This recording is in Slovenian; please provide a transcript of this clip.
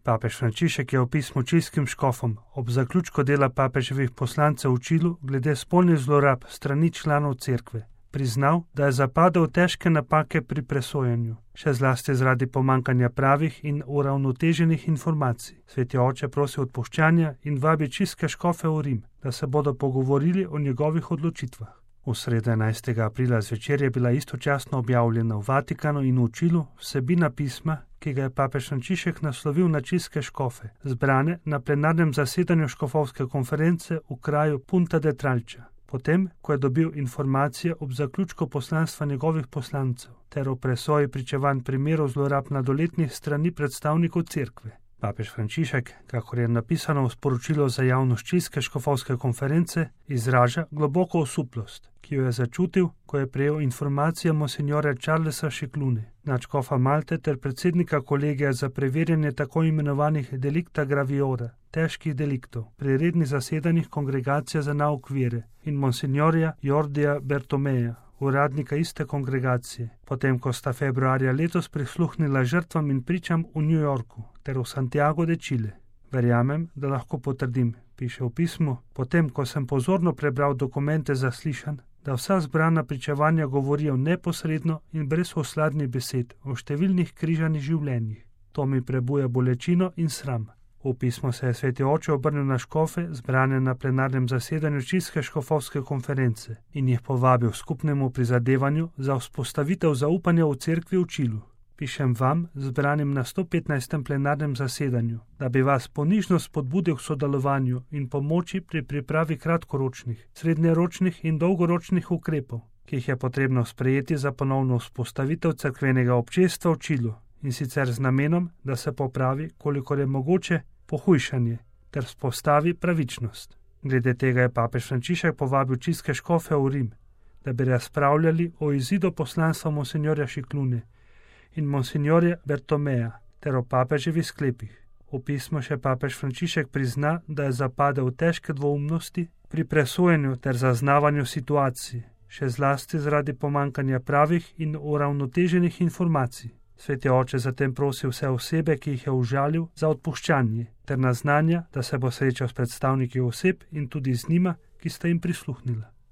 Papež Frančišek je v pismu čilskim škofom ob zaključku dela papeževih poslancev v Čilu glede spolnih zlorab strani članov cerkve priznal, da je zapadel v težke napake pri presojanju, še zlasti zaradi pomanjkanja pravih in uravnoteženih informacij. Sveti oče prosi odpuščanja in vabi čilske škofe v Rim, da se bodo pogovorili o njegovih odločitvah. V sredo 11. aprila zvečer je bila istočasno objavljena v Vatikanu in v Čilu vsebina pisma, ki ga je papež Frančišek naslovil na čilske škofe, zbrane na plenarnem zasedanju škofovske konference v kraju Punta de Tralča, potem, ko je dobil informacije ob zaključku poslanstva njegovih poslancev ter o presoji pričevanj primerov zlorab mladoletnih strani predstavnikov cerkve. Papež Frančišek, kakor je napisano v sporočilu za javnost čilske škofovske konference, izraža globoko osuplost, ki jo je začutil, ko je prejel informacije monsinjorja Charlesa Šiklune, nadškofa Malte ter predsednika kolegija za preverjanje tako imenovanih delicta graviora, težkih deliktov, pri rednih zasedanjih kongregacije za nauk vere in monsinjorja Jordija Bertomeja, uradnika iste kongregacije, potem ko sta februarja letos prisluhnila žrtvam in pričam v New Yorku ter v Santiago de Chile. Verjamem, da lahko potrdim, piše v pismu, potem ko sem pozorno prebral dokumente zaslišanj, da vsa zbrana pričevanja govorijo neposredno in brez osladnih besed o številnih križanih življenjih. To mi prebuja bolečino in sram. V pismu se je sveti oče obrnil na škofe, zbrane na plenarnem zasedanju čilske škofovske konference in jih povabil skupnemu prizadevanju za vzpostavitev zaupanja v cerkvi v Čilu. Pišem vam, zbranim na 115. plenarnem zasedanju, da bi vas ponižno spodbudil k sodelovanju in pomoči pri pripravi kratkoročnih, srednjeročnih in dolgoročnih ukrepov, ki jih je potrebno sprejeti za ponovno vzpostavitev cerkvenega občestva v Čilu, in sicer z namenom, da se popravi, kolikor je mogoče, pohujšanje ter vzpostavi pravičnost. Glede tega je papež Frančišek povabil čilske škofe v Rim, da bi razpravljali o izidu poslanstva monsinjorja Šiklune in monsinjorja Bertomeja ter o papeževih sklepih. V pismu še papež Frančišek prizna, da je zapadel v težke dvoumnosti pri presojanju ter zaznavanju situacij, še zlasti zaradi pomanjkanja pravih in uravnoteženih informacij. Sveti oče zatem prosi vse osebe, ki jih je užalil, za odpuščanje ter naznanja, da se bo srečal s predstavniki oseb in tudi z njima, ki sta jim prisluhnila.